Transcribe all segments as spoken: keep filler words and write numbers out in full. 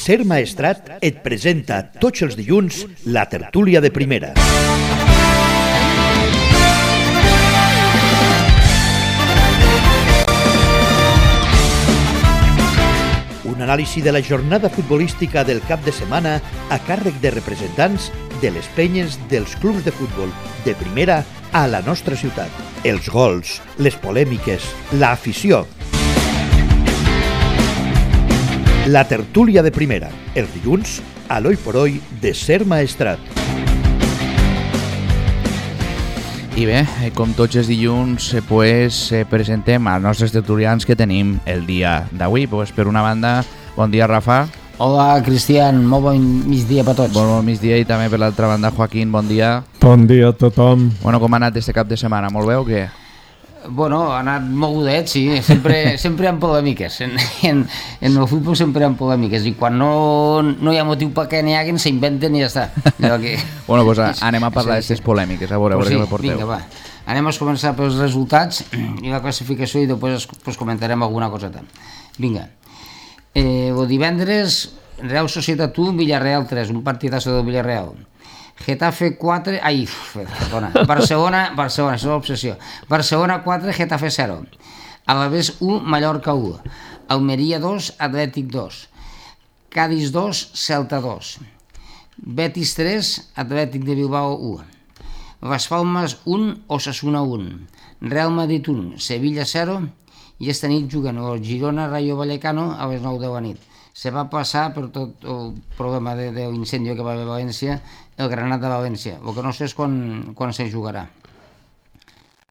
Ser Maestrat et presenta tots els dilluns la tertúlia de primera. Un anàlisi de la jornada futbolística del cap de setmana a càrrec de representants de les penyes dels clubs de futbol de primera a la nostra ciutat. Els gols, les polèmiques, l'afició. La tertúlia de primera, els dilluns, a l'Oi por Oi de Ser Maestrat. I bé, com tots els dilluns, pues, presentem als nostres tertulians que tenim el dia d'avui. Pues, per una banda, bon dia, Rafa. Hola, Cristian, molt bon migdia per tots. Bon, bon migdia, i també per l'altra banda, Joaquín, bon dia. Bon dia a tothom. Bueno, com ha anat este cap de setmana? Molt bé o què? Bueno, ha anat mogudet, sí, sempre, sempre hi ha polèmiques, en, en, en el futbol sempre hi ha polèmiques, i quan no, no hi ha motiu perquè n'hi hagin, s'inventen i ja està. Que... Bueno, doncs pues anem a parlar d'aquestes sí, polèmiques, a veure, a veure pues sí, què me porteu. Vinga, va. Anem a començar pels resultats i la classificació i després pues, comentarem alguna coseta. Vinga, eh, el divendres, Real Societat u, Villarreal tres, un partidazo del Villarreal. Getafe quatre, ai, perdona, Barcelona, Barcelona, això és l'obsessió. Barcelona quatre, Getafe zero. Alavés u, Mallorca u. Almeria dos, Atlètic dos. Cádiz dos, Celta dos. Betis tres, Atlètic de Bilbao u. Las Palmas un, Osasuna un. Real Madrid un, Sevilla zero. I esta nit juguen el Girona Rayo Vallecano a les nou de la nit. Se va passar per tot el problema de, de l'incendi que va haver a València, el Granat de València. El que no sé és quan, quan se jugarà.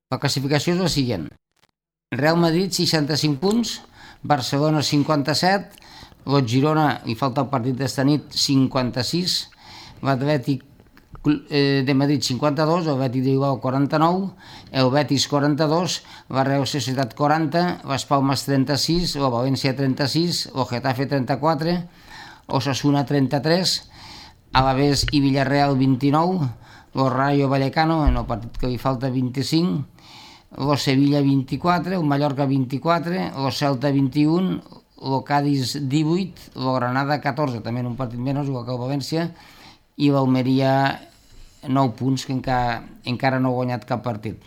La classificació és la següent. Real Madrid, seixanta-cinc punts, Barcelona, cinquanta-set, el Girona, li falta el partit d'esta nit, cinquanta-sis, l'Atlètic de Madrid, cinquanta-dos, el Betis de Bilbao, quaranta-nou, el Betis, quaranta-dos, la Real Societat, quaranta, les Palmes, trenta-sis, la València, trenta-sis, el Getafe, trenta-quatre, Osasuna, trenta-tres, Alavés i Villarreal, vint-i-nou, el Rayo Vallecano, en el partit que li falta, vint-i-cinc, el Sevilla, vint-i-quatre, el Mallorca, vint-i-quatre, el Celta, vint-i-un, el Cádiz, divuit, el Granada, catorze, també en un partit menys, igual que el València, i l'Almeria, nou punts, que encara, encara no ha guanyat cap partit.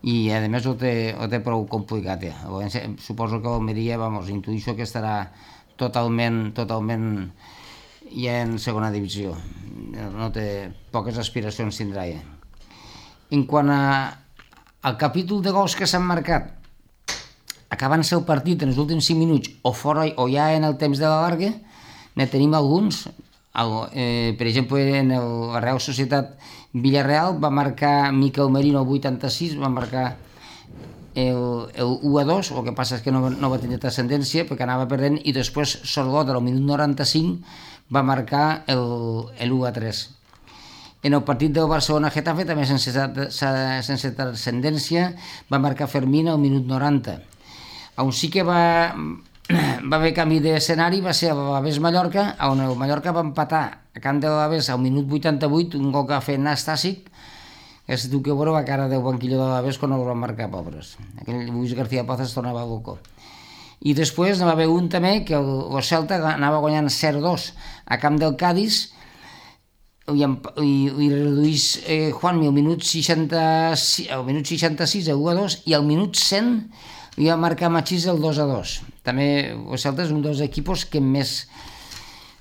I, a més, ho té, ho té prou complicat. Ja. València, suposo que l'Almeria, vamos, intuïixo que estarà totalment, totalment ja en segona divisió. No té, poques aspiracions tindrà ja. En quant a, al capítol de gols que s'han marcat, acabant-se el partit en els últims cinc minuts o fora o ja en el temps de la larga, ne tenim alguns. El, eh, per exemple, en el, la Real Societat Villarreal va marcar Miquel Merino al vuitanta-sis, va marcar el, el u a dos, el que passa és que no, no va tenir transcendència perquè anava perdent, i després Sorlota al minut noranta-cinc va marcar el, el u a tres. En el partit del Barcelona-Getafe, també sense, sense transcendència, va marcar Fermín al minut noranta. On sí que va... va haver canvi d'escenari, va ser a l'Alavés Mallorca, on el Mallorca va empatar a camp de l'Alavés al minut vuitanta-vuit, un gol que va fer Nastàsic, que si tu que veure la cara del banquillo de l'Alavés quan el van marcar, pobres. Aquell Luis García Paz es tornava loco. I després va haver un també que el, el Celta anava guanyant zero dos a camp del Cádiz, i, i, i reduís eh, Juanmi al minut seixanta-sis, al minut seixanta-sis, el u a dos, i al minut cent i va marcar Machís el dos a dos. També el Celta és un dels equipos que més,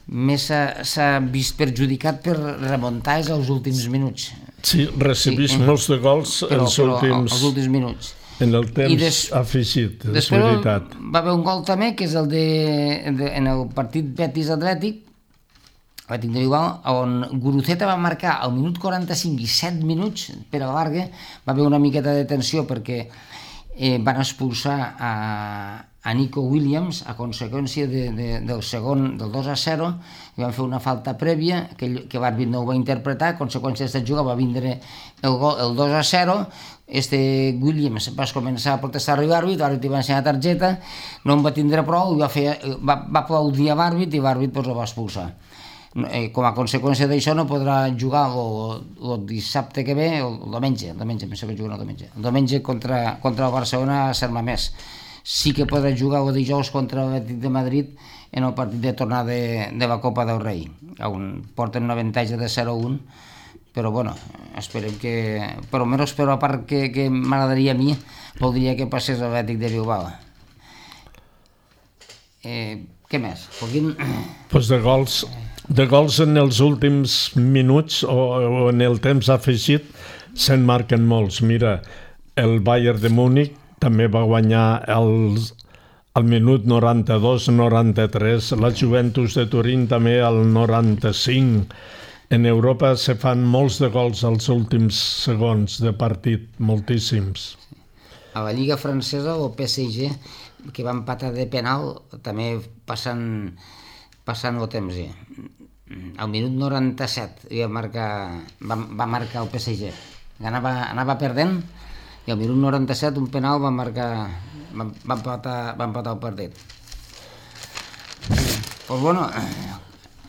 més s'ha vist perjudicat per remuntar els últims minuts. Sí, recibís sí, molts de gols però, els, però, últims, els últims minuts. En el temps des, afegit, és veritat. Va haver un gol també, que és el de, de en el partit Betis-Atlètic, Atlètic de Bilbao, on Guruceta va marcar al minut quaranta-cinc i set minuts per a la larga. Va haver una miqueta de tensió perquè Eh, van expulsar a, a Nico Williams a conseqüència de, de, del segon, del dos a zero, i van fer una falta prèvia que, que l'àrbit no ho va interpretar. A conseqüència d'aquesta jugada va vindre el, gol, el dos a zero. Este Williams va començar a protestar a l'àrbit, l'àrbit va ensenyar targeta, no en va tindre prou, i va, fer, va, va aplaudir a l'àrbit i l'àrbit pues, el va expulsar. Eh, com a conseqüència d'això no podrà jugar el dissabte que ve, el diumenge, el diumenge, pensava que juguen el diumenge, el diumenge contra, contra el Barcelona a Sant Mamés. sí que podrà jugar el dijous contra l'Atlètic de Madrid en el partit de tornada de, de la Copa del Rei, on porten un avantatge de zero a un, però bueno, esperem que, per almenys per la part que, que m'agradaria a mi, voldria que passés l'Atlètic de Bilbao. Eh, què més? Joaquín? Pues de gols, de gols en els últims minuts o, o en el temps afegit se'n marquen molts. Mira, el Bayern de Múnich també va guanyar el, al minut noranta-dos noranta-tres, la Juventus de Turín també al noranta-cinc. En Europa se fan molts de gols als últims segons de partit, moltíssims. A la Lliga Francesa, el P S G, que va empatar de penal, també passant, passant el temps. Al minut noranta-set va marcar, va, va marcar el P S G. Anava, anava perdent i al minut noranta-set un penal va marcar, va, va, empatar, va empatar el partit. Pues bueno,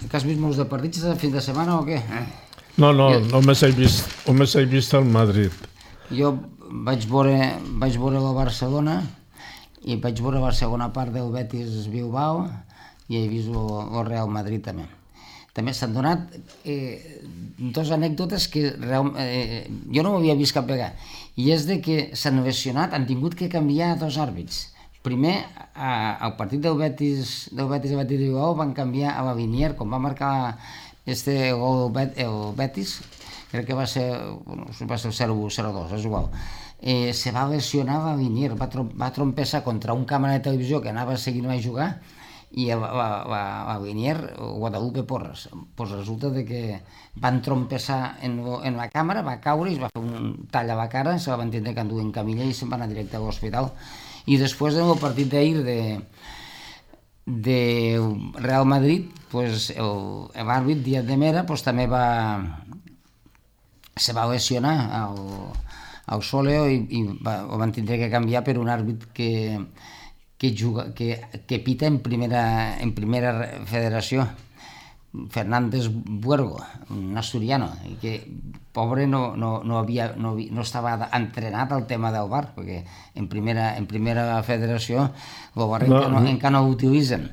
que has vist molts de partits de fin de setmana o què? No, no, jo, només he vist, només he vist el Madrid. Jo vaig veure, vaig veure la Barcelona i vaig veure la segona part del Betis Bilbao i he vist el, el Real Madrid també. També s'han donat eh, dues anècdotes que real, eh, jo no ho havia vist cap vegada, i és de que s'han lesionat, han tingut que canviar dos àrbits. Primer, a, al partit del Betis, del Betis a Betis Bilbao van canviar a la Vinier, com va marcar este gol el Betis, crec que va ser, bueno, va ser el zero u zero dos, és igual. Eh, se va lesionar la Vinier, va, trom, va trompessar contra un càmera de televisió que anava seguint a jugar, i la, la, la, la Vinier, Guadalupe Porras, pues resulta de que van trompessar en, en la càmera, va caure i es va fer un tall a la cara, se la van tindre que endur en camilla i se'n va anar directe a l'hospital. I després en el partit d'ahir de, de Real Madrid, pues l'àrbit Díaz de Mera pues, també va se va lesionar al, al Soleo i, i va, ho van tindre que canviar per un àrbit que que, juga, que, que pita en primera, en primera federació, Fernández Buergo, un asturiano, i que pobre no, no, no, havia, no, no estava entrenat al tema del bar, perquè en primera, en primera federació el bar no, encara, no, encara no ho utilitzen.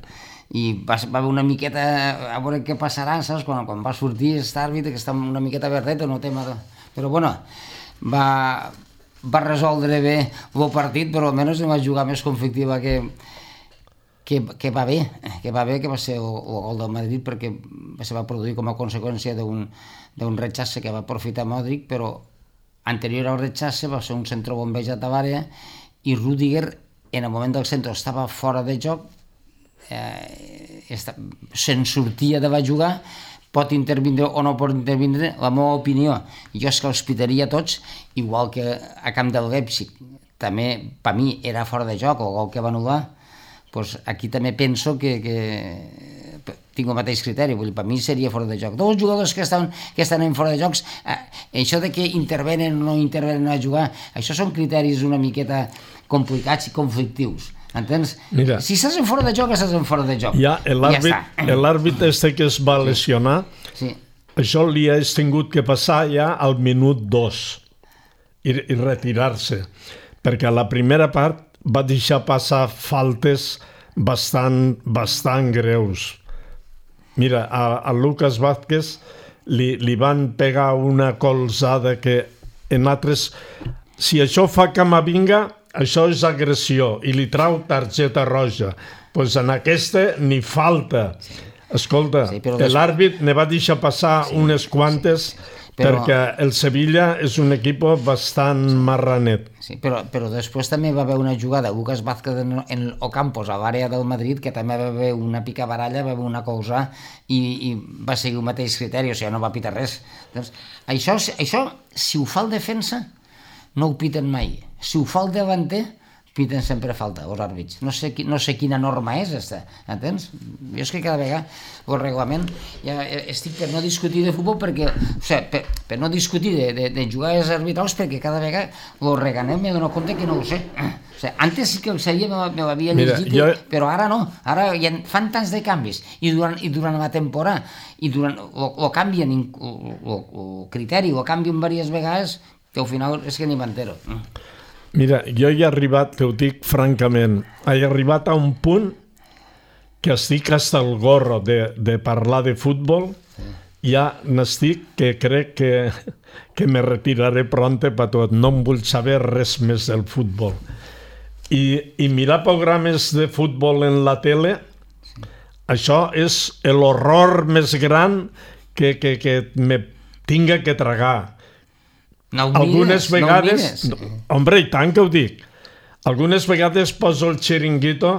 I va, va haver una miqueta, a veure què passarà, saps? Quan, quan va sortir aquest àrbit, que està una miqueta verdet en el tema de... Però bueno, va... va resoldre bé el partit, però almenys va jugar més conflictiva que, que, que va bé, que va bé, que va ser el, el gol del Madrid, perquè se va produir com a conseqüència d'un rechace que va aprofitar Modric, però anterior al rechace va ser un centre bombejat a l'àrea i Rüdiger en el moment del centre estava fora de joc, eh, se'n sortia de va jugar, pot intervindre o no pot intervindre, la meva opinió, jo és que els pitaria tots, igual que a camp del Leipzig, també per mi era fora de joc, el gol que va anul·lar, doncs aquí també penso que, que tinc el mateix criteri, vull dir, per mi seria fora de joc. Dos jugadors que estan, que estan en fora de jocs, eh, això de que intervenen o no intervenen a jugar, això són criteris una miqueta complicats i conflictius. Entens? Mira, si estàs en fora de joc, estàs en fora de joc. Ja, l'àrbit ja este que es va lesionar, sí. Sí. Això li ha tingut que passar ja al minut dos i, i retirar-se, perquè a la primera part va deixar passar faltes bastant, bastant greus. Mira, a, a Lucas Vázquez li, li van pegar una colzada que en altres... Si això fa Camavinga, això és agressió i li trau targeta roja. Doncs pues en aquesta ni falta. Escolta, sí, l'àrbit ne va deixar passar sí, unes quantes sí, però... perquè el Sevilla és un equip bastant marranet. Sí, però, però després també va haver una jugada, Lucas Vázquez en, en Ocampos, a l'àrea del Madrid, que també va haver una picabaralla, va haver una cosa i, i va seguir el mateix criteri, o sigui, no va pitar res. Doncs, això, això, si ho fa el defensa, no ho piten mai. Si ho fa el davanter, piten sempre falta, els àrbits. No sé, no sé quina norma és, esta, entens? Jo és que cada vegada el reglament, ja estic per no discutir de futbol, perquè, o sigui, per, per no discutir de, de, de jugades arbitrals, perquè cada vegada el reganem m'he donat compte que no ho sé. O sigui, antes sí que el sabia, me l'havia llegit, jo... però ara no. Ara ja fan tants de canvis, i durant, i durant la temporada, i durant, o, o canvien el criteri, o canvien diverses vegades, que al final és que ni m'entero. Mira, jo he arribat, te ho dic francament, he arribat a un punt que estic hasta el gorro de, de parlar de futbol, sí. Ja n'estic que crec que, que me retiraré pronte per tot, no em vull saber res més del futbol. I, i mirar programes de futbol en la tele, sí. Això és l'horror més gran que, que, que me tinga que tragar. No Algunes mires, vegades... no Hombre, i tant que ho dic. Algunes vegades poso el xiringuito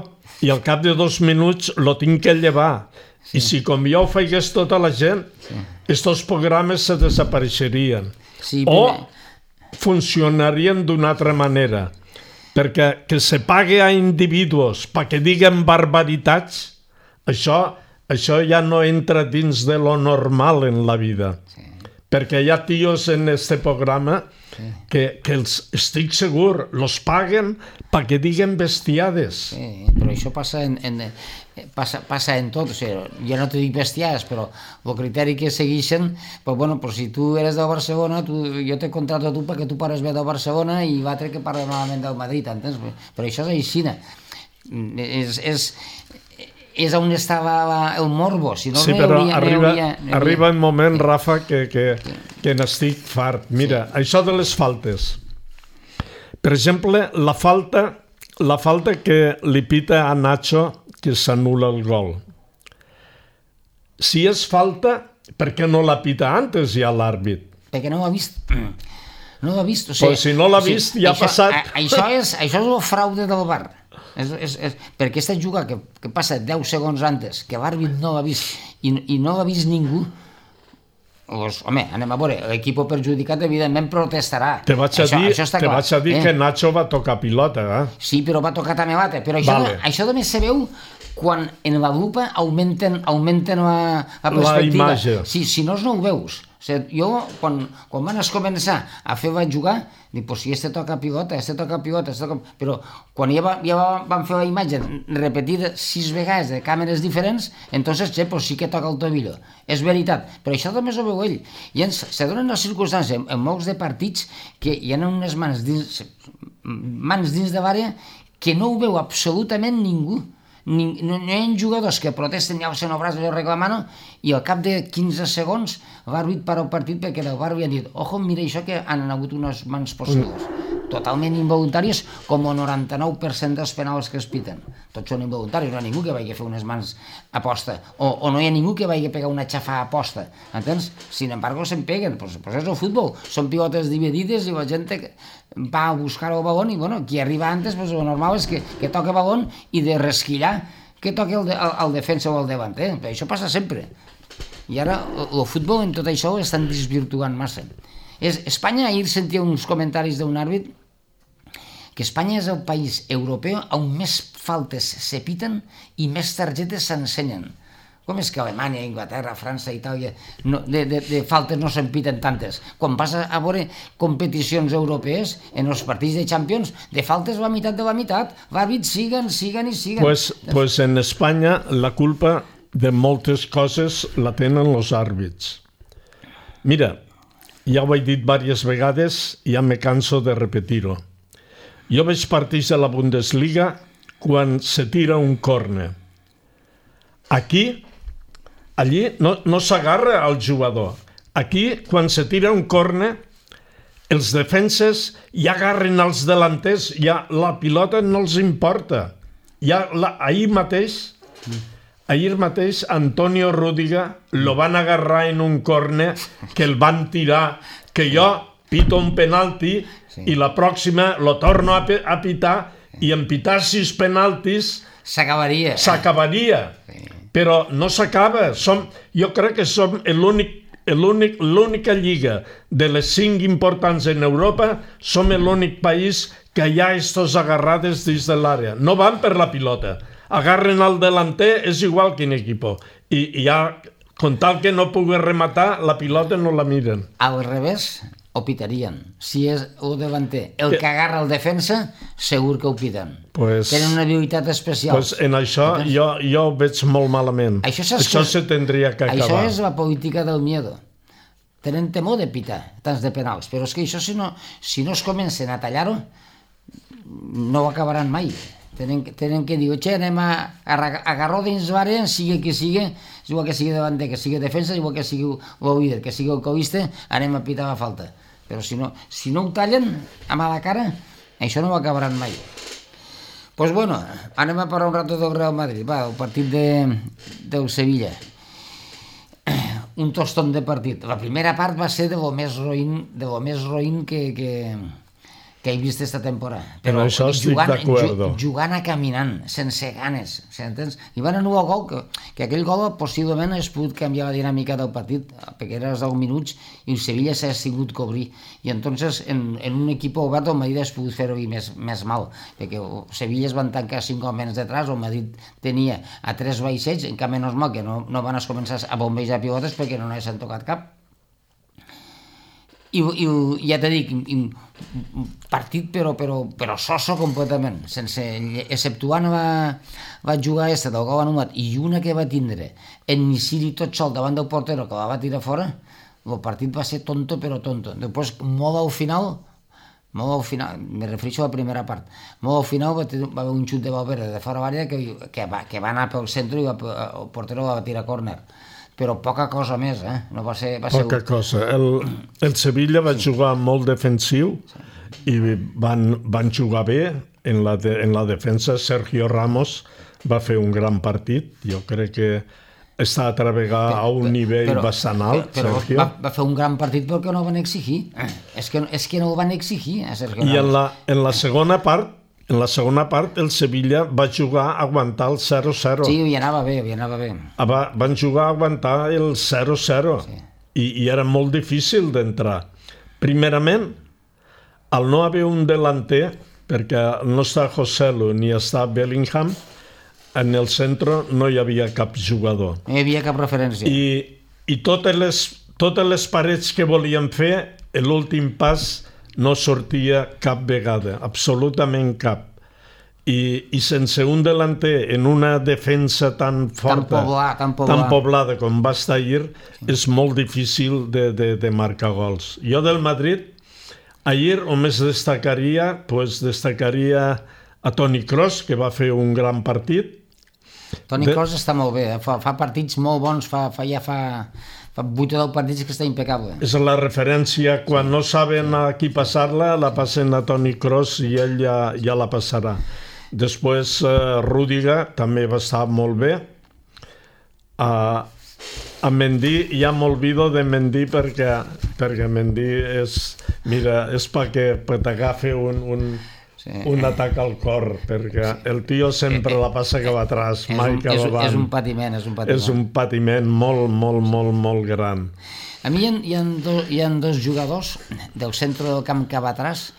i al cap de dos minuts lo tinc que llevar. Sí. I si com jo ho feigués tota la gent, sí. Estos programes se desapareixerien. Sí, o funcionarien d'una altra manera. Perquè que se pague a individus perquè diguen barbaritats, això, això ja no entra dins de lo normal en la vida. Sí. Perquè hi ha tios en este programa sí. que, que els, estic segur, los paguen perquè diguen bestiades. Sí, però això passa en, en, passa, passa en tot. O sigui, jo no te dic bestiades, però el criteri que segueixen, però, bueno, però si tu eres de Barcelona, tu, jo te contrato a tu perquè tu pares bé de Barcelona i l'altre que parla malament del Madrid, entens? Però això és aixina. És... és és on estava el morbo, si no sí, però hauria, arriba, hauria, hauria... arriba un moment, Rafa, que, que, que n'estic fart. Mira, sí. Això de les faltes. Per exemple, la falta, la falta que li pita a Nacho que s'anul·la el gol. Si és falta, per què no la pita antes ja l'àrbit? Perquè no ho ha vist. No ho ha vist. O sigui, pues si no l'ha o sigui, vist, ja ha passat. A, això, és, això és el fraude del V A R. És, és, és, perquè aquesta jugada que, que passa deu segons antes, que l'àrbit no l'ha vist i, i no l'ha vist ningú, pues, home, anem a veure, l'equip perjudicat evidentment protestarà. Te vaig a això, dir, això te vaig a dir eh? que Nacho va tocar pilota, eh? Sí, però va tocar també l'altre, però això, vale. això només se veu quan en la lupa augmenten, augmenten la, la perspectiva. La imatge. Sí, si no, no ho veus. O sigui, jo, quan, quan van començar a fer vaig jugar, dic, pues si este toca pilota, este toca pilota, este toca... Però quan ja, va, ja van fer la imatge repetida sis vegades de càmeres diferents, entonces, che, pues sí que toca el tobillo. És veritat, però això també ho veu ell. I ens, se donen les circumstàncies en, en molts de partits que hi ha unes mans dins, mans dins de l'àrea que no ho veu absolutament ningú. Ni, no, no hi ha jugadors que protesten ja alcen el braç reclamant i al cap de quinze segons l'àrbit para el partit perquè el V A R havia dit ojo, mira això que han hagut unes mans positives totalment involuntàries com el noranta-nou per cent dels penals que es piten. Tots són involuntaris, no hi ha ningú que vagi a fer unes mans aposta o, o no hi ha ningú que vagi a pegar una xafa aposta, entens? Sin embargo se'n peguen, pues, pues és el futbol, són pilotes dividides i la gent va a buscar el balón i bueno, qui arriba antes, pues, el normal és que, que toca el balón i de resquillar que toqui el, de, el, el defensa o el davanter, però això passa sempre. I ara el, el futbol en tot això ho estan desvirtuant massa. És, Espanya, ahir sentia uns comentaris d'un àrbit que Espanya és el país europeu on més faltes se piten i més targetes s'ensenyen. Com és que Alemanya, Inglaterra, França, Itàlia, no, de, de, de faltes no se'n piten tantes? Quan passa a veure competicions europees, en els partits de Champions, de faltes la meitat de la meitat, l'àrbit siguen, siguen i siguen. Pues, pues en Espanya la culpa de moltes coses la tenen els àrbits. Mira, ja ho he dit diverses vegades i ja me canso de repetir-ho. Jo veig partits de la Bundesliga quan se tira un córner. Aquí, allí no, no s'agarra al jugador. Aquí, quan se tira un córner, els defenses ja agarren els delanters, ja la pilota no els importa. Ja la, ahir mateix, ahir mateix Antonio Rüdiger lo van agarrar en un córner que el van tirar, que jo pito un penalti sí. I la pròxima lo torno a, a pitar i en pitar sis penaltis s'acabaria. S'acabaria. Sí. Però no s'acaba. Som, jo crec que som l'únic, l'única lliga de les cinc importants en Europa, som l'únic país que hi ha estos agarrades dins de l'àrea. No van per la pilota. Agarren al delanter, és igual quin equip. I, i ja, con tal que no pugui rematar, la pilota no la miren. Al revés, ho pitarien. Si és el delanter el que, que agarra el defensa, segur que ho piten. Pues, tenen una habilitat especial. Pues en això jo, jo ho veig molt malament. Això, això se tindria que acabar. Això és la política del miedo. Tenen temor de pitar tants de penals, però és que això si no, si no es comencen a tallar-ho, no ho acabaran mai. Tenen, tenen que dir, oye, anem a, a agarró dins l'àrea, sigui que sigui, igual que sigui davanter, que sigui defensa, igual que sigui el líder, que sigui el covista, anem a pitar la falta. Però si no, si no ho tallen amb a la cara, això no ho acabaran mai. Doncs pues bueno, anem a parlar un rato del Real Madrid, va, el partit de, del Sevilla. Un tostón de partit. La primera part va ser de lo més roïn, de lo més roïn que... que que he vist aquesta temporada. Però en això estic d'acord. Jugant a caminant, sense ganes, s'entens? I van anul·lar el gol, que, que aquell gol possiblement hagués pogut canviar la dinàmica del partit, perquè era deu minuts i el Sevilla s'ha tingut que obrir. I entonces, en, en un equip obert, el Madrid hagués pogut fer-ho més, més mal, perquè el Sevilla es van tancar cinc homes detrás, el Madrid tenia a tres vaixells, en canvi no és mal que no, no van començar a bombejar pilotes perquè no n'haguessin tocat cap. I, i ja t'he dit, partit però, però, però soso completament, sense, exceptuant va, va jugar aquesta del gol anul·lat i una que va tindre en Nisiri tot sol davant del portero que la va tirar fora, el partit va ser tonto però tonto. Després, molt al final, molt al final, me refereixo a la primera part, molt al final va, va haver un xut de Valverde de fora l'àrea que, que, va, que va anar pel centre i va, el portero va tirar córner. Però poca cosa més, eh? No va ser, va poca ser... cosa. El, el Sevilla va jugar molt defensiu i van, van jugar bé en la, de, en la defensa. Sergio Ramos va fer un gran partit. Jo crec que està a treballar a un nivell però, bastant alt, però, Sergio. Va, va fer un gran partit perquè no ho van exigir. Eh. És, que, és que no ho van exigir, a Sergio Ramos. I en la, en la segona part, En la segona part, el Sevilla va jugar a aguantar el zero zero. Sí, hi anava bé, hi anava bé. Va, van jugar a aguantar el zero zero. Sí. I, I era molt difícil d'entrar. Primerament, al no haver un delanter, perquè no està Joselu ni està Bellingham, en el centre no hi havia cap jugador. No hi havia cap referència. I, i totes, les, totes les parets que volien fer, l'últim pas no sortia cap vegada, absolutament cap. I, i sense un delanter en una defensa tan forta, tan, poblar, tan, poblar. tan poblada com va estar ahir, sí. És molt difícil de, de, de marcar gols. Jo del Madrid, ahir només destacaria, pues, destacaria a Toni Kroos, que va fer un gran partit. Toni de... Kroos està molt bé, eh? fa, fa partits molt bons, fa, fa, ja fa... fa vuit o deu partits que està impecable. És la referència, quan no saben a qui passar-la, la passen a Toni Kroos i ell ja, ja la passarà. Després, uh, Rüdiger també va estar molt bé. Uh, a Mendy ja m'olvido de Mendy perquè, perquè Mendy és, mira, és perquè t'agafi un, un, sí. un atac al cor, perquè sí. El tio sempre la passa cap atrás, és mai un, cap és, avant. És un patiment, és un patiment. És un patiment molt, molt, molt, molt gran. A mi hi ha, hi ha, do, hi ha dos jugadors del centre del camp cap atrás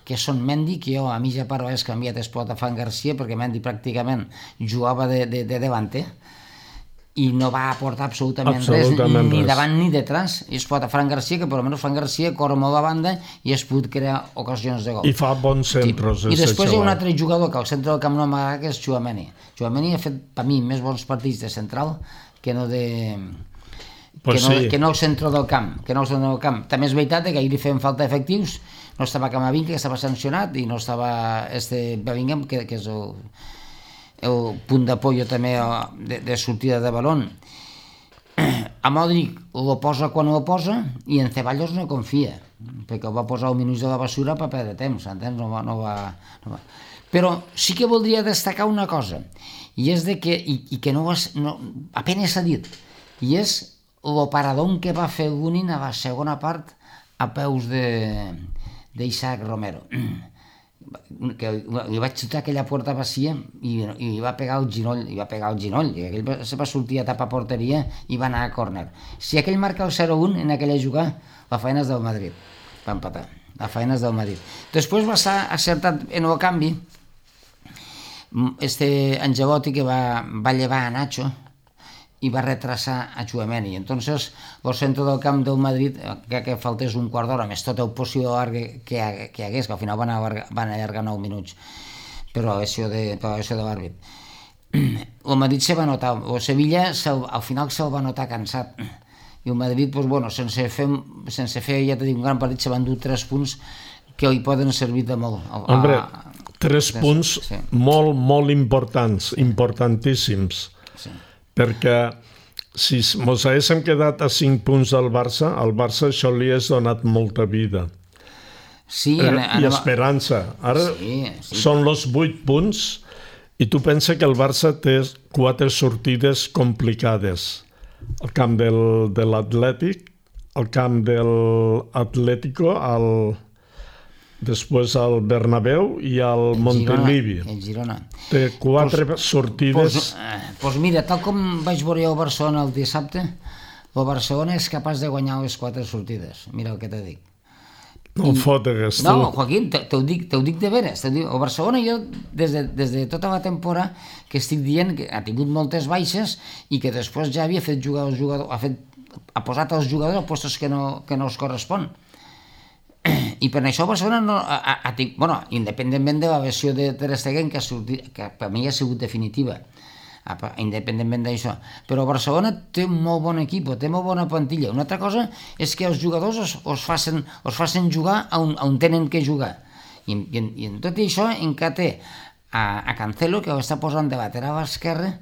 que són Mendy, que jo a mitja part l'he canviat esport a Fran Garcia, perquè Mendy pràcticament jugava de, de, de davanter i no va aportar absolutament, absolutament res, ni res. Davant ni detrás. I es pot a Fran Garcia, que per almenys Fran Garcia corre molt a banda i es pot crear ocasions de gol. I fa bons centres. Sí. I després hi ha un altre jugador que al centre del camp no m'agrada, que és Tchouaméni. Tchouaméni ha fet, per mi, més bons partits de central que no de... Pues que, no, sí. que no al centre del camp, que no al centre del camp. També és veritat que ahir li feien falta efectius, no estava Camavinga, que estava sancionat, i no estava este Bellingham, que, que és el, el punt d'apoyo també de, de sortida de balón. A Modric ho posa quan ho posa, i en Ceballos no confia, perquè ho va posar al minuts de la basura per perdre temps, entens? No va, no va, no va. Però sí que voldria destacar una cosa, i és de que, i, i que no, has, no apenas s'ha dit, i és el paradón que va fer Lunin a la segona part a peus d'Isaac Romero, que li vaig xutar aquella porta vacía i, i va pegar el ginoll, i va pegar el ginoll, i aquell se va sortir a tapar porteria i va anar a córner. Si aquell marca el zero un en aquella jugada, la feina és del Madrid, va empatar, la feina és del Madrid. Després va estar acertat en el canvi este Angelotti, que va, va llevar a Nacho i va retrasar a Tchouaméni. Entonces, el centre del camp del Madrid, que, que faltés un quart d'hora, més tot el possible larg que, que hi hagués, que al final van allargar, van allargar nou minuts per la lesió de, per la lesió de l'àrbit. El Madrid se va notar, el Sevilla al final se'l va notar cansat, i el Madrid, pues, bueno, sense fer, sense fer ja t'he dit, un gran partit, se van dur tres punts que hi poden servir de molt. Hombre, tres punts molt, molt importants, importantíssims, perquè si ens haguéssim quedat a cinc punts del Barça, al Barça això li has donat molta vida. Sí, eh, anem... i esperança. Ara sí, sí. Són els vuit punts i tu pensa que el Barça té quatre sortides complicades. El camp del, de l'Atlètic, el camp de l'Atlético, el... després al Bernabéu i al Montilivi. El Girona. Té quatre pues, sortides... Doncs pues, pues mira, tal com vaig veure el Barcelona el dissabte, el Barcelona és capaç de guanyar les quatre sortides. Mira el que te dic. No I... fotegues, tu. No, Joaquín, te, te, ho dic, te ho dic de veres. Te dic, el Barcelona, jo, des de, des de tota la temporada, que estic dient que ha tingut moltes baixes i que després ja havia fet jugar els jugadors, ha, fet, ha posat els jugadors a postos que no, que no els correspon. I per això Barcelona no, ha, ha, ha, bueno, independentment de la versió de Ter Stegen, que, ha sortit, que per mi ha sigut definitiva, independentment d'això, però Barcelona té un molt bon equip, té molt bona plantilla. Una altra cosa és que els jugadors os, os, facin, os facin jugar on, on tenen que jugar, i, i, i en tot això encara té a, a Cancelo, que ho està posant de lateral esquerre,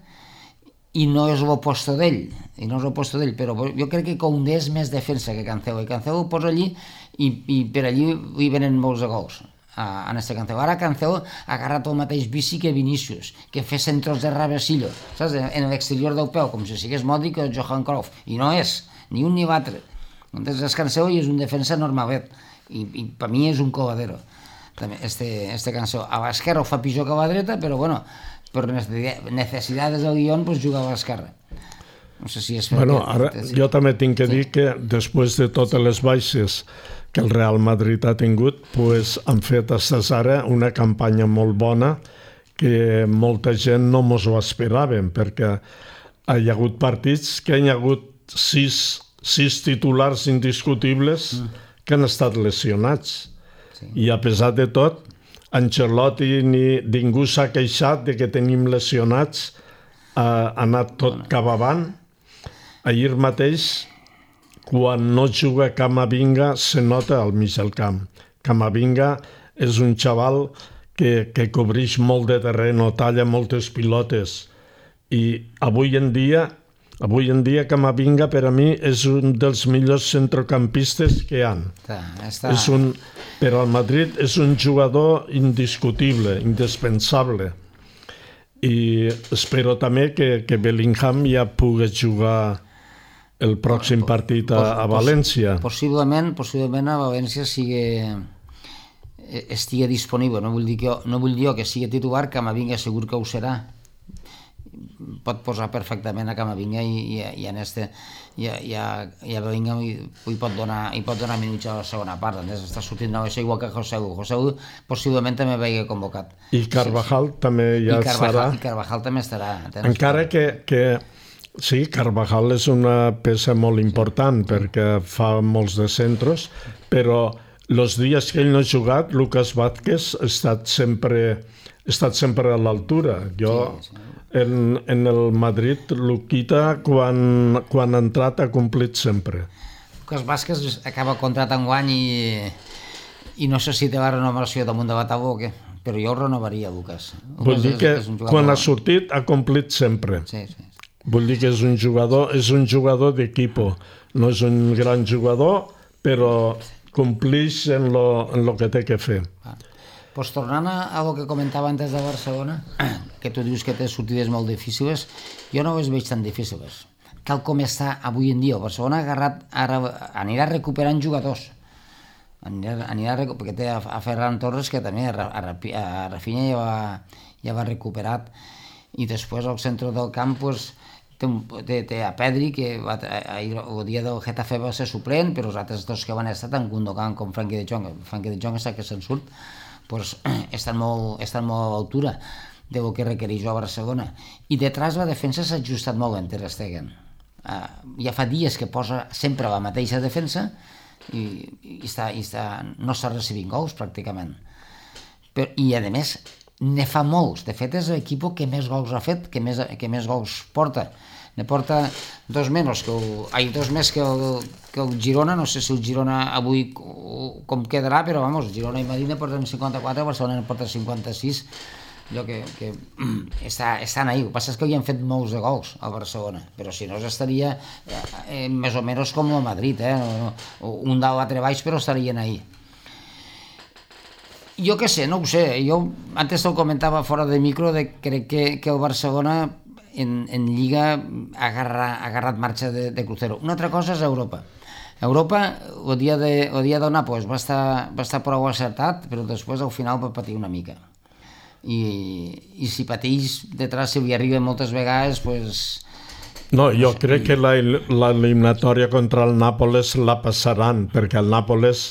i no és l'oposto d'ell, i no és l'oposto d'ell, però jo crec que Koundé és més defensa que Cancelo, i Cancelo ho posa allí, i, i per allí hi venen molts de gols a, en este Cancelo. Ara Cancelo ha agarrat el mateix bici que Vinícius, que fer centros de reversillo, saps? En l'exterior del peu, com si sigués Modric o Johan Cruyff, i no és, ni un ni l'altre. Entonces és Cancelo i és un defensa normalet, i, i per mi és un coladero, també, este, este Cancelo. A l'esquerra ho fa pitjor que a la dreta, però bueno, per necessitats del guió, pues juga a l'esquerra. No sé si és... Bueno, ara jo també tinc que dir que després de totes les baixes que el Real Madrid ha tingut, pues, han fet fins ara una campanya molt bona que molta gent no mos ho esperaven, perquè hi ha hagut partits que hi ha hagut sis, sis titulars indiscutibles que han estat lesionats. Sí. I a pesar de tot, Ancelotti ni ningú s'ha queixat de que tenim lesionats, ha anat tot cap avant. Ahir mateix, quan no juga Camavinga, se nota al mig del camp. Camavinga és un xaval que, que cobreix molt de terreny, talla moltes pilotes. I avui en dia, avui en dia Camavinga per a mi és un dels millors centrocampistes que hi ha. Està, està... És un, per al Madrid és un jugador indiscutible, indispensable. I espero també que, que Bellingham ja pugui jugar el pròxim partit a, a València. Possiblement, possiblement a València sigui, estigui disponible. No vull dir que, no vull dir que sigui titular, Camavinga segur que ho serà. Pot posar perfectament a Camavinga i, i, i en este i, i, a, i a Bellingham i, i pot donar i pot donar minuts a la segona part. Entonces, està sortint no, això igual que Joseu. Joseu possiblement també vegi convocat. I Carvajal sí, també ja I Carvajal, estarà. I Carvajal també estarà. Encara que, que sí, Carvajal és una peça molt important sí, perquè fa molts de centros, però els dies que ell no ha jugat, Lucas Vázquez ha estat sempre, ha estat sempre a l'altura. Jo... Sí, sí. En, en el Madrid, Luquita, quan, quan ha entrat, ha complit sempre. Lucas Vázquez acaba contrat enguany i, i no sé si té la renovació damunt de la taula o què, però jo ho renovaria, Lucas. Vull dir que quan ha sortit ha complit sempre. Sí, sí. Vull dir que és un jugador, és un jugador d'equipo. No és un gran jugador, però complix en lo, en lo que té que fer. Ah. Pues tornant a el que comentava antes de Barcelona, que tu dius que té sortides molt difícils, jo no les veig tan difícils. Tal com està avui en dia, el Barcelona ha agarrat, ara, anirà recuperant jugadors. Anirà, anirà, perquè té a, a Ferran Torres, que també a, a, a Rafinha ja va, ja va recuperat. I després al centre del camp pues, té, un, té, té a Pedri, que va, ahir, el dia del Getafe va ser suplent, però els altres dos que van estar, tant Gundogan com Frenkie de Jong, Frenkie de Jong està que se'n surt, pues, estan, molt, estan molt a l'altura del que requereix a Barcelona. I detrás la defensa s'ha ajustat molt en Ter Stegen. Uh, ja fa dies que posa sempre la mateixa defensa i, i, està, i està, no està recibint gols pràcticament. Però, I a més ne fa molts. De fet és l'equip que més gols ha fet, que més, que més gols porta. ne porta dos menys que el, ai, dos més que el, que el Girona, no sé si el Girona avui com quedarà, però vamos, Girona i Madrid ne porten cinquanta-quatre, Barcelona ne porta cinquanta-sis, allò que, que està, estan ahí. El que passa és que hi han fet molts de gols al Barcelona, però si no estaria eh, més o menys com el Madrid, eh? No, no, un dalt l'altre baix, però estarien ahí. Jo què sé, no ho sé, jo antes te'l comentava fora de micro, de, crec que, que el Barcelona en, en Lliga ha agarrat, ha agarrat marxa de, de crucero. Una altra cosa és Europa. Europa, el dia de, el dia del Nàpols va estar, va estar prou acertat, però després al final va patir una mica. I, i si pateix detrás, si li arriba moltes vegades, pues... No, jo crec que l'eliminatòria contra el Nàpoles la passaran, perquè el Nàpoles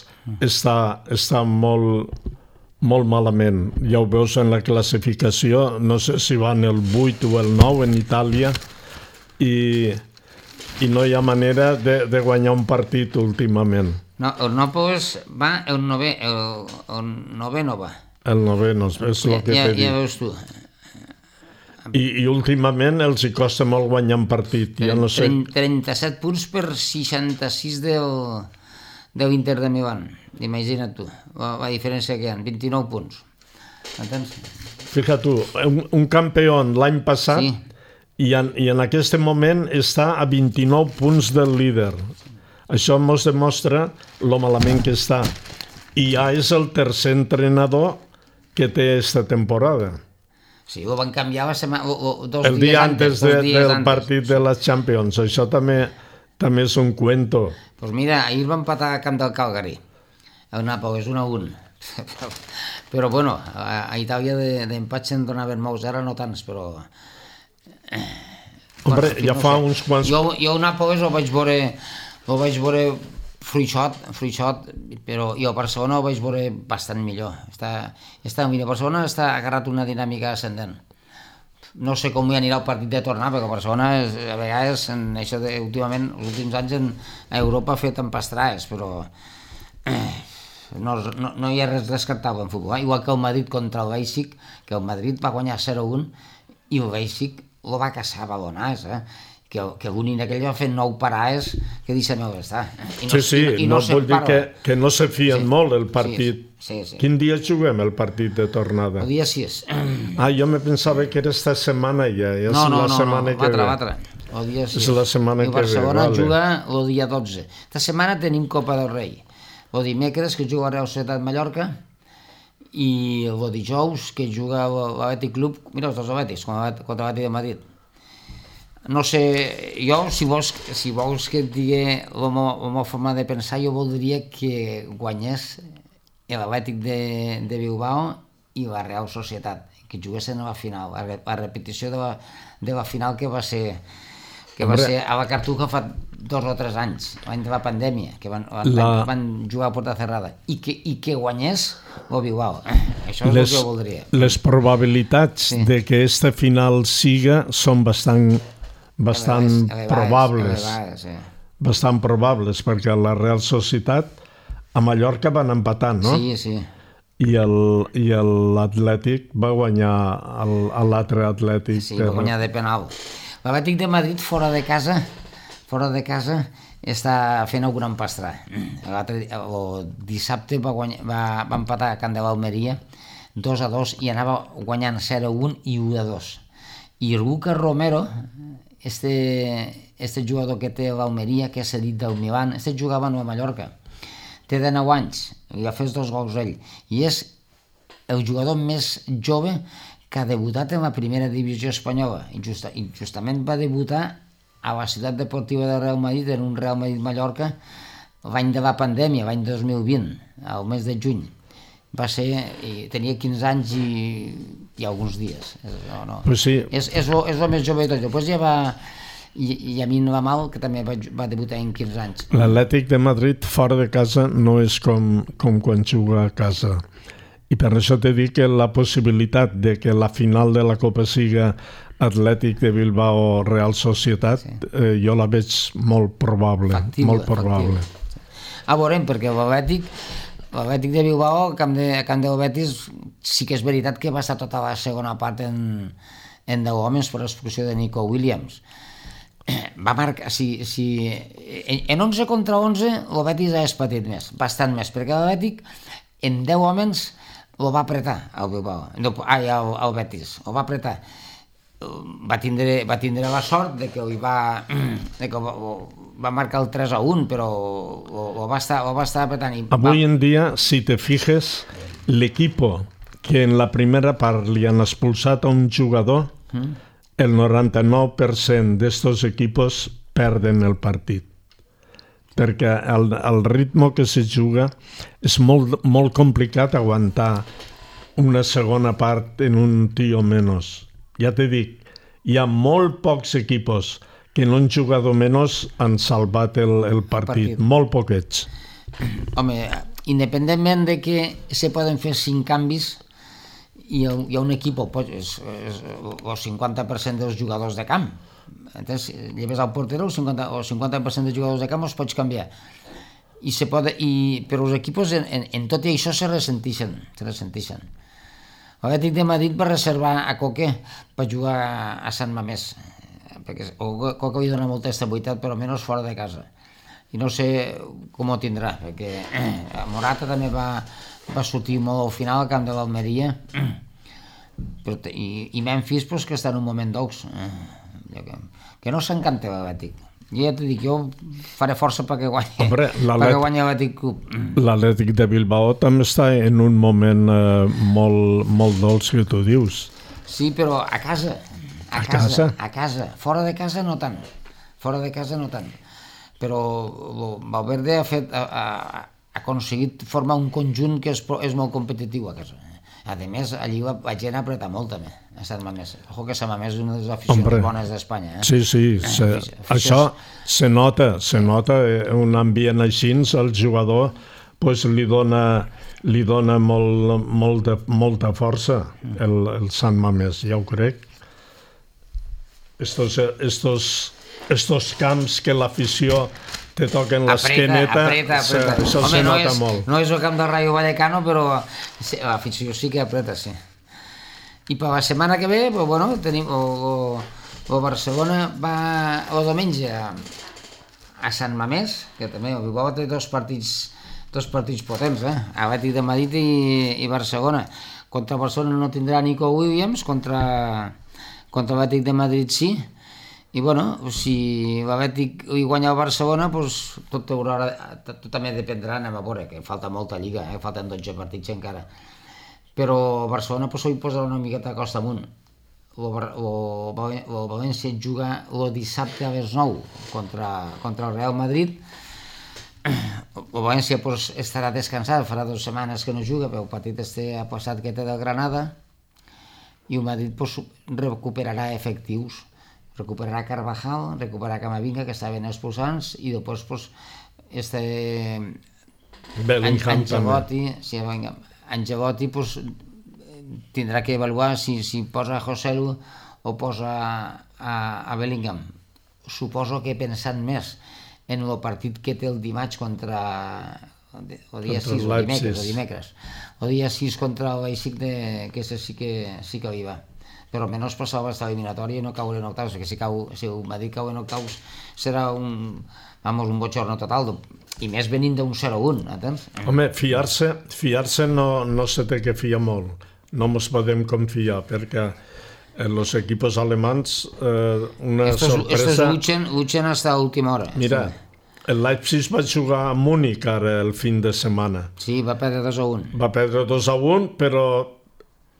està, està molt, molt malament. Ja ho veus en la classificació, no sé si van el vuit o el nou en Itàlia, i, i no hi ha manera de, de guanyar un partit últimament. No, el Nàpoles va, el novè, el, el novè no va. El novè, no, és el que ja, t'he dit. Ja veus tu. I, I últimament els hi costa molt guanyar un partit. Jo no sé... trenta-set punts per seixanta-sis del, de l'Inter de Milán. Imagina't tu, la, la diferència que hi ha, vint-i-nou punts. Entens? Fíjate tu, un, un campió l'any passat, sí. i, en, i en aquest moment està a vint-i-nou punts del líder. Això ens demostra lo malament que està. I ja és el tercer entrenador que té esta temporada. Sí, ho van canviar la setmana, o, o, dos el dia antes, antes de, del antes. Partit de les Champions. Això també, també és un cuento. Pues mira, ahir van empatar a camp del Calgary. El Nàpoles, un a un. Però bueno, a, a Itàlia d'empats de, se'n donaven molts, ara no tants, però... Hombre, bueno, ja no fa sé. Uns quants... Jo, jo el Nàpoles ho vaig veure... Ho vaig veure... Fruixot, Fruixot, però jo a Barcelona ho vaig veure bastant millor. Està, està, mira, Barcelona està agarrat una dinàmica ascendent. No sé com hi anirà el partit de tornar, perquè Barcelona és, a vegades, en això de, últimament, els últims anys en, a Europa ha fet empastrades, però eh, no, no, no hi ha res rescatable en futbol. Eh? Igual que el Madrid contra el Leipzig, que el Madrid va guanyar zero a un i el Leipzig el va caçar a balonars, eh? que, que l'únic aquell va fer nou parades que deixem està. I no, sí, sí, i, i no, no vol dir que, que no se fien sí, molt el partit. Sí, sí, sí. Quin dia juguem el partit de tornada? El dia sis. Ah, jo me pensava que era esta setmana ja. ja no, no, la no, setmana no, que l'altra, l'altra. El dia sis. És la setmana I que ve. Barcelona vale. juga el dia dotze. Esta setmana tenim Copa del Rei. El dimecres que juga el Real Societat Mallorca i el dijous que juga l'Atlètic Club, mira els dos Atlètics, contra l'Atlètic de Madrid. No sé, jo, si vols, si vols que et digui la meva forma de pensar, jo voldria que guanyés l'Atlètic de, de Bilbao i la Real Societat, que juguessin a la final, a la repetició de la, de la final que va ser que va ser a la Cartuja fa dos o tres anys, l'any de la pandèmia, que van, la... van jugar a porta cerrada, i que, i que guanyés el Bilbao. Això és les, el que jo voldria. Les probabilitats sí. de que aquesta final siga són bastant bastant elevades, probables elevades, sí. bastant probables, perquè la Real Societat a Mallorca van empatar, no? Sí, sí. I l'Atlètic va guanyar l'altre Atlètic. Sí, va guanyar de penal. L'Atlètic de Madrid fora de casa fora de casa està fent alguna empastrada. El dissabte va, guanyar, va, va empatar a Can de l'Almeria dos a dos i anava guanyant zero a un i u a dos. I Lucas Romero, este, este jugador que té l'Almeria, que és cedit del Milan, este jugava a Mallorca, té dinou anys, i ha fet dos gols ell, i és el jugador més jove que ha debutat en la primera divisió espanyola, i, just, i justament va debutar a la ciutat deportiva del Real Madrid, en un Real Madrid-Mallorca, l'any de la pandèmia, l'any dos mil vint, al mes de juny. Va ser, i tenia quinze anys i, i alguns dies. No, no. Pues sí. És, és, lo, és el més jove de tot. Després ja va... I, i a mi no va mal, que també va, va debutar en quinze anys. L'Atlètic de Madrid fora de casa no és com, com quan juga a casa. I per això t'he dit que la possibilitat de que la final de la Copa siga Atlètic de Bilbao Real Societat, sí. eh, jo la veig molt probable. Factible, molt probable. Factible. A veurem, perquè l'Atlètic l'Atlètic de Bilbao, a camp de, a camp del Betis, sí que és veritat que va estar tota la segona part en, en deu homes per l'expulsió de Nico Williams. va marcar, si, si, en onze contra onze el Betis ha espatit més, bastant més, perquè el Betis en deu homes el va apretar al Bilbao, no, ai, al, al Betis, el va apretar. Va tindre, va tindre la sort de que, li va, de que va, va marcar el tres a un, però ho va estar, ho va estar apretant. I Avui va... en dia, si te fijes, l'equipo que en la primera part li han expulsat a un jugador, mm. el noranta-nou per cent d'estos equipos perden el partit. Perquè el, el ritme que se juga és molt, molt complicat aguantar una segona part en un tio menys. Ja te dic, hi ha molt pocs equipos que en un jugador menys han salvat el, el partit, partit, molt poquets. Home, independentment de que se poden fer cinc canvis, hi ha, hi ha un equip, pues, és, és, el cinquanta per cent dels jugadors de camp. Entens? Lleves al porter, el cinquanta, el cinquanta per cent dels jugadors de camp els pots canviar. I se pot, i, però els equips en, en, en tot i això se ressentixen, se ressentixen. L'Atlètic de Madrid va reservar a Coque per jugar a Sant Mamés, perquè Coque li dona molta estabilitat, però menys fora de casa. I no sé com ho tindrà, perquè Morata també va, va sortir molt al final al camp de l'Almeria, i, i Memphis, pues, que està en un moment dolç, que, que no s'encanta l'Atlètic. Jo ja t'ho dic, jo faré força perquè guanyi, perquè guanyi l'Atlètic Club. L'Atlètic de Bilbao també està en un moment eh, molt, molt dolç, que tu dius. Sí, però a casa, a, a casa, casa, a casa. Fora de casa no tant, fora de casa no tant. Però Valverde ha fet, ha, ha, ha aconseguit formar un conjunt que és, és molt competitiu a casa. A més, allí la, la gent apreta molt també, a Sant Mamés. Ojo que Sant Mamés és una de les aficions Hombre. bones d'Espanya. Eh? Sí, sí, se, eh, això se nota, se nota, un ambient així, el jugador pues, li dona, li dona molt, molt de, molta força, el, el Sant Mamés, ja ho crec. Estos, estos, estos camps que l'afició te toquen l'esqueneta, això se nota és, molt. No és el camp del Rayo Vallecano, però l'afició sí que apreta, sí. I per la setmana que ve, pues, bueno, tenim el, el Barcelona va el diumenge a Sant Mamés, que també el Bilbao té dos partits, dos partits potents, eh? Atlètic de Madrid i, i Barcelona. Contra Barcelona no tindrà Nico Williams, contra, contra l'Atlètic de Madrid sí. I bueno, si l'Atlètic hi guanya el Barcelona, doncs tot, haurà, tot també dependrà, anem a veure, que falta molta lliga, eh? Falten dotze partits encara. Però el Barcelona doncs, ho posarà una miqueta a costa amunt. El València juga el dissabte a les nou contra, contra el Real Madrid. El València doncs, estarà descansat, farà dues setmanes que no juga, però el partit este ha passat que té del Granada, i el Madrid doncs, recuperarà efectius. Recuperarà Carvajal, recuperarà Camavinga, que estaven expulsants, i després pues, este Ancelotti, sí, Ancelotti pues, tindrà que avaluar si, si posa a Joselu o posa a, a Bellingham. Suposo que pensant més en el partit que té el dimarts contra el dia sis o dimecres, o dimecres. El dia sis contra el Leipzig, que sí que, sí que hi va. Però almenys passava aquesta eliminatòria i no caure en octaus, perquè si, cau, si el Madrid cau en octaus serà un, vamos, un bochorno total, i més venint d'un zero a un, entens? Home, fiar-se fiar-se no, no se té que fiar molt, no ens podem confiar, perquè els equipos alemans, eh, una estos, sorpresa... Estos luchen, luchen hasta última hora. Mira, sí. El Leipzig va jugar a Múnich ara el fin de setmana. Sí, va perdre dos a un. Va perdre dos a un, però...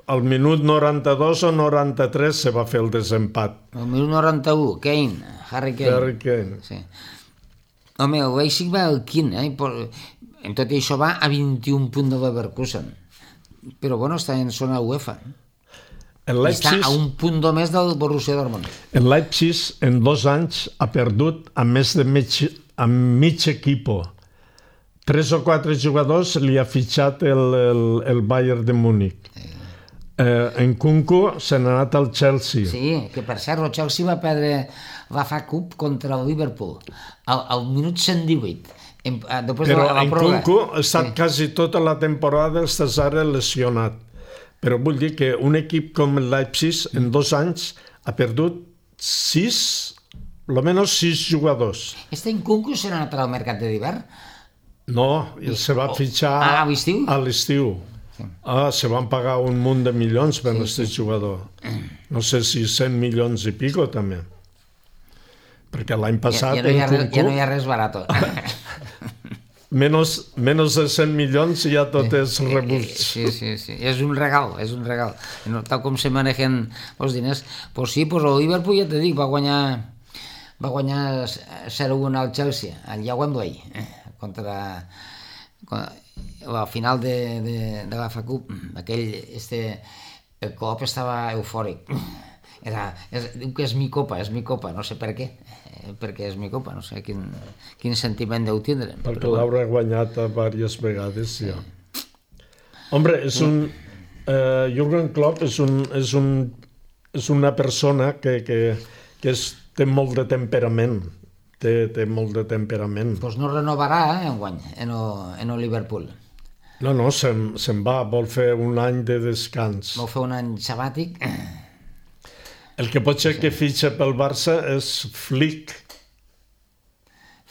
al minut noranta-dos o noranta-tres se va fer el desempat. Al minut noranta-u, Kane, Harry Kane. Harry Kane. Sí. Home, el Leipzig va al quint, eh? En tot això va a vint-i-un punts de Leverkusen. Però bueno, està en zona UEFA. El Leipzig, està a un punt només del Borussia Dortmund. El Leipzig en dos anys ha perdut a més de mig, a mig equipo. Tres o quatre jugadors li ha fitxat el, el, el Bayern de Múnich. Eh. Eh, en Kunku se n'ha anat al Chelsea. Sí, que per cert el Chelsea va perdre la F A Cup contra el Liverpool al, al minut cent divuit. En, Però de la, la en Kunku ha estat sí. quasi tota la temporada, estàs ara lesionat. Però vull dir que un equip com el Leipzig en dos anys ha perdut sis almenys sis jugadors. Este Nkunku serà anat al mercat de d'hivern? No, i se va fitxar ah, a l'estiu. A l'estiu. Sí. Ah, se van pagar un munt de milions per aquest sí, sí. jugador. No sé si cent milions i pico també. Perquè l'any passat... Ja, ja, no, hi ha res, ja no hi ha res barat. Menos, menos de cent milions ja tot és rebuig. Sí, sí, sí. És un regal, és un regal. No, tal com se manejen els diners. Pues sí, pues el Liverpool, ja te dic, va guanyar va guanyar zero a un al Chelsea, allà a Wembley, eh, contra... al final de, de, de la F A Cup. Aquell, este, el Klopp estava eufòric. Era, és, diu que és mi copa, és mi copa, no sé per què, perquè és mi copa, no sé quin, quin sentiment deu tindre. Perquè l'haurà guanyat diverses vegades, ja. Hombre, és un... Eh, Jürgen Klopp és, un, és, un, és una persona que, que, que és, té molt de temperament, té, té molt de temperament. Doncs no renovarà, eh, enguany, en el, en el Liverpool. No, no, se'n, se'n va, vol fer un any de descans. Vol fer un any sabàtic. El que pot ser que fitxa pel Barça és Flick.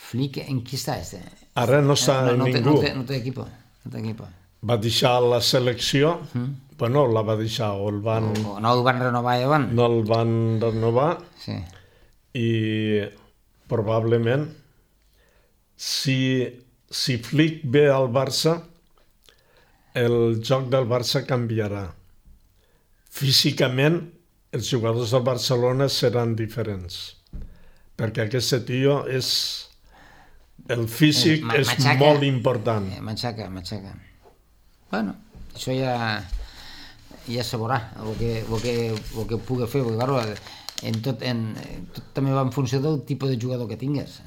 Flick, en qui està? Este? Ara no està no, en no ningú. No té, no té equipo. No té equipo. Va deixar la selecció, mm. bueno, la va deixar, o el van... O, no el van renovar llavors. No el van renovar, sí. I probablement si, si Flick ve al Barça, el joc del Barça canviarà. Físicament, els jugadors del Barcelona seran diferents, perquè aquest tio és... El físic eh, és molt important. Eh, matxaca, matxaca. Bueno, això ja, ja se veurà, el que, el que, el que pugui fer, perquè claro, en tot, en, tot també va en funció del tipus de jugador que tingues,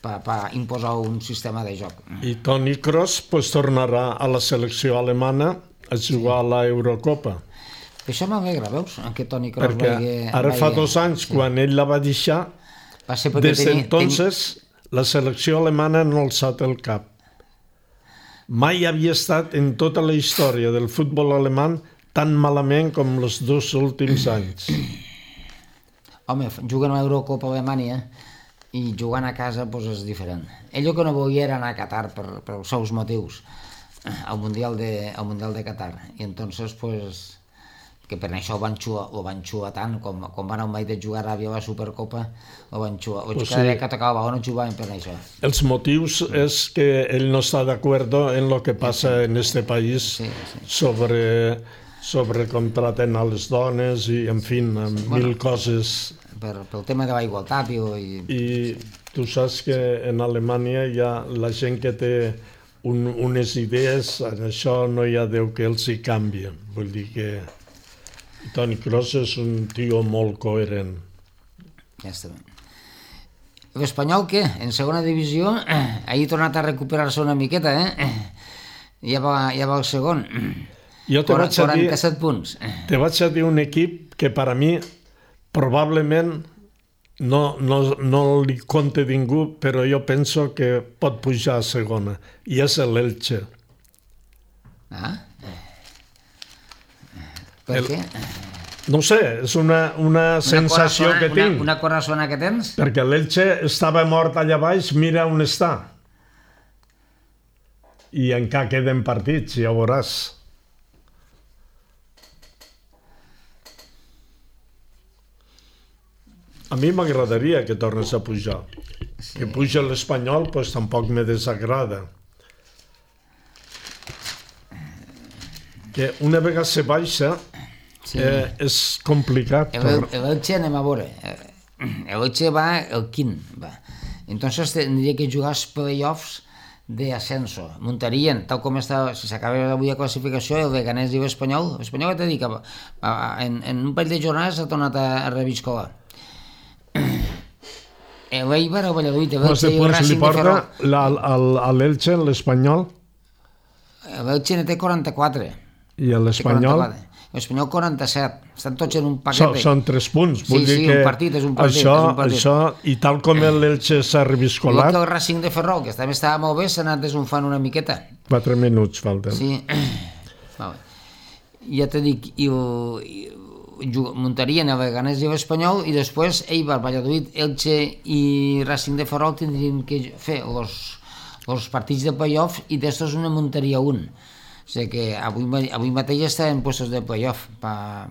per, per imposar un sistema de joc. I Toni Kroos pues, tornarà a la selecció alemana a jugar sí. a l'Eurocopa. Això m'alegra, veus? Que Toni Kroos perquè vagi, ara vagi... fa dos anys, sí. quan ell la va deixar, va ser des tenia, d'entonces tenia... la selecció alemana no ha alçat el cap. Mai havia estat en tota la història del futbol alemany tan malament com els dos últims anys. Home, juguen a l'Eurocopa a Alemanya i jugant a casa pues, és diferent. Ell que no volia era anar a Qatar per, per els seus motius al Mundial de, al Mundial de Qatar. I entonces, pues, que per això ho van xuar, ho van xuar tant, com, com van al mai de jugar a Aràbia a la Supercopa, ho van xuar. O pues cada sí. que tocava el no jugaven per això. Els motius és que ell no està d'acord en lo que passa sí, sí. en este país sí, sí. sobre, sobre com traten a les dones i, en fi, amb bueno, mil coses. Per, pel tema de la igualtat. I, I tu saps que en Alemanya hi ha la gent que té un, unes idees, en això no hi ha Déu que els hi canvien. Vull dir que Toni Kroos és un tio molt coherent. Ja està bé. L'Espanyol, què? En segona divisió, eh, ahir ha tornat a recuperar-se una miqueta, eh? Ja va, ja va el segon. Jo te vaig a dir, quaranta-set punts. Te vaig a dir un equip que per a mi probablement no, no, no li compte ningú, però jo penso que pot pujar a segona, i és l'Elche. Ah? Per què? No sé, és una, una, una sensació que tinc. Una, una corazona que tens? Perquè l'Elche estava mort allà baix, mira on està. I encara queden partits, ja veuràs. A mi m'agradaria que tornes a pujar. Sí. Que puja l'Espanyol, doncs tampoc me desagrada. Que una vegada se baixa, sí. eh, és complicat. L'Elche anem a veure. L'Elche va el quint. Va. Entonces tindria que jugar els play-offs de ascenso. Muntarien, tal com està, si s'acaba avui la classificació, el Leganés i l'Espanyol. L'Espanyol et dic que en, en un parell de jornades ha tornat a, a reviscolar. L'Eibar, el Valladolid, l'Elche i el Racing de Ferrol. A l'Elche, l'Espanyol? L'Elche ne té quaranta-quatre. I l'Espanyol? L'Espanyol quaranta-set. Estan tots en un paquet. Són, són tres punts. Sí, sí, un partit, és un partit. Això, és un partit. Això, i tal com l'Elche s'ha reviscolat... Igual que el Racing de Ferrol, que també estava molt bé, s'ha anat desunfant una miqueta. Quatre minuts falten. Sí. Vale. Ja te dic, i muntarien el Leganés i l'Espanyol i després Eibar, Valladolid, Elche i Racing de Ferrol tindrien que fer els partits de playoff i d'estos una muntaria un. O sigui que avui, avui mateix estan en puestos de playoff per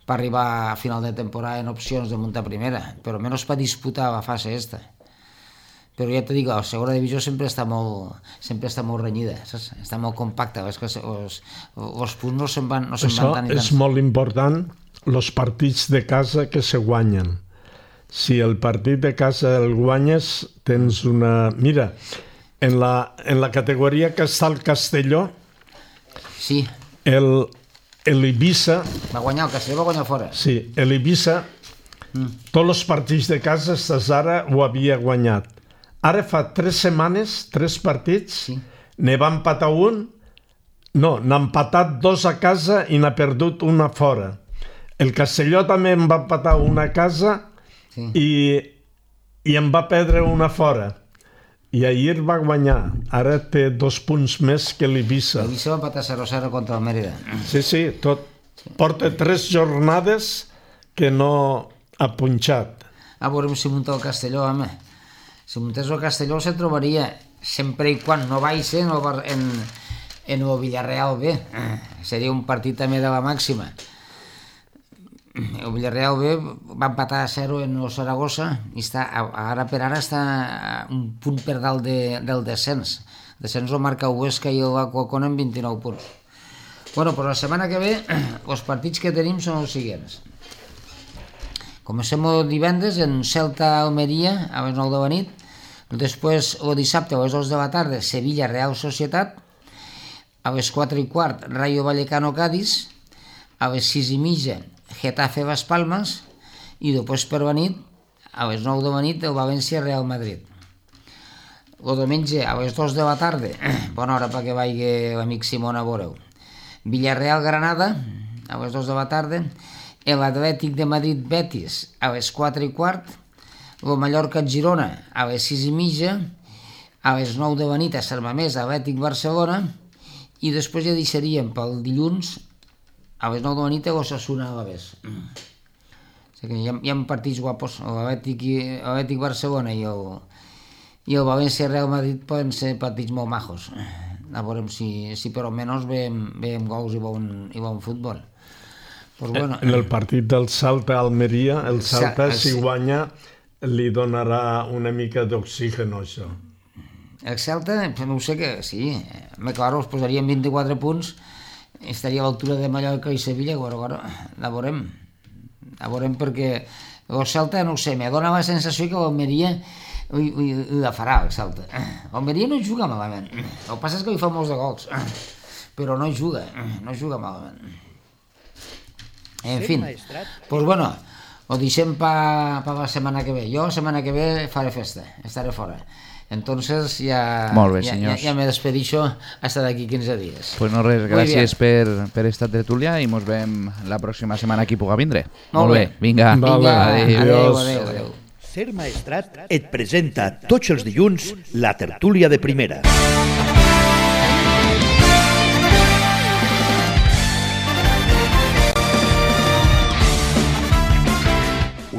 pa arribar a final de temporada en opcions de muntar primera, però almenys per disputar la fase esta. Però ja te dic, la segona divisió sempre està molt, sempre està molt renyida, saps? Està molt compacta, és que els, els punts no se'n van, no se'n van tant i tant. Això és molt important, els partits de casa que se guanyen. Si el partit de casa el guanyes, tens una... Mira, en la, en la categoria que està el Castelló, sí. el, el Ibiza... Va guanyar, el Castelló va guanyar fora. Sí, el Ibiza, mm. tots els partits de casa, fins ara ho havia guanyat. Ara fa tres setmanes, tres partits, sí. Ne va empatar un, no, n'ha empatat dos a casa i n'ha perdut una fora. El Castelló també en va empatar una a casa sí. i, i en va perdre una fora. I ahir va guanyar. Ara té dos punts més que l'Ibiza. L'Ibiza va empatar zero a zero contra el Mérida. Sí, sí, tot. Porta tres jornades que no ha punxat. A veure si munta el Castelló, home. Si muntés el Castelló se trobaria, sempre i quan no baixa en el, en, en el Villarreal B. Seria un partit també de la màxima. El Villarreal B va empatar a zero en el Saragossa i està, ara per ara està un punt per dalt de, del descens. El descens el marca el Huesca i el Alcorcón en vint-i-nou punts. Bueno, però la setmana que ve els partits que tenim són els següents. Comencem el divendres en Celta-Almeria a les nou de la nit. Després, el dissabte a les dos de la tarda, Sevilla-Real Societat. A les quatre i quart, Rayo Vallecano-Cádiz. A les sis i mitja, Getafe-Las Palmas. I després per la nit, a les nou de la nit, el València-Real Madrid. El diumenge, a les dos de la tarda, bona hora perquè vagi l'amic Simón a veure-ho. Villarreal-Granada, a les dos de la tarda. l'Atlètic de Madrid-Betis a les quatre i quart, el Mallorca-Girona a les sis i mitja, a les nou de la nit a Sant Mamés, Atlètic-Barcelona, i després ja deixaríem pel dilluns a les nou de la nit a l'Osasuna a l'Alavés. O sigui, hi ha, hi ha partits guapos, l'Atlètic-Barcelona i el, i el València-Real Madrid poden ser partits molt majos. A veure si, si per almenys veiem, veiem gols i bon, i bon futbol. Pues bueno, en el partit del Celta-Almeria, el Celta, si guanya, li donarà una mica d'oxigen, això. El Celta, no sé què, sí, me claro, es posarien vint-i-quatre punts, estaria a l'altura de Mallorca i Sevilla, però, però, la veurem. La veurem perquè el Celta, no sé, me dona la sensació que l'Almeria la farà, el Celta. L'Almeria no juga malament. El que passa és que li fa molts de gols, però no juga, no juga malament. En fin, pues bueno, ho deixem per pa la setmana que ve. Jo la setmana que ve faré festa, estaré fora. Entonces ya, Molt bé, ya, senyors. ya, ya me despedixo hasta d'aquí quinze dies. Pues no res, gràcies per, per esta tertúlia i mos veiem la pròxima setmana qui puga vindre. Molt, Molt bé. bé, vinga. Vinga, adéu. Adéu, adéu, adéu. Ser Maestrat et presenta tots els dilluns la tertúlia de primera.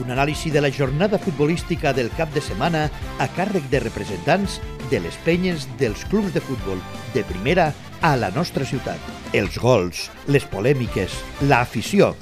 Un anàlisi de la jornada futbolística del cap de setmana a càrrec de representants de les penyes dels clubs de futbol de primera a la nostra ciutat. Els gols, les polèmiques, l'afició.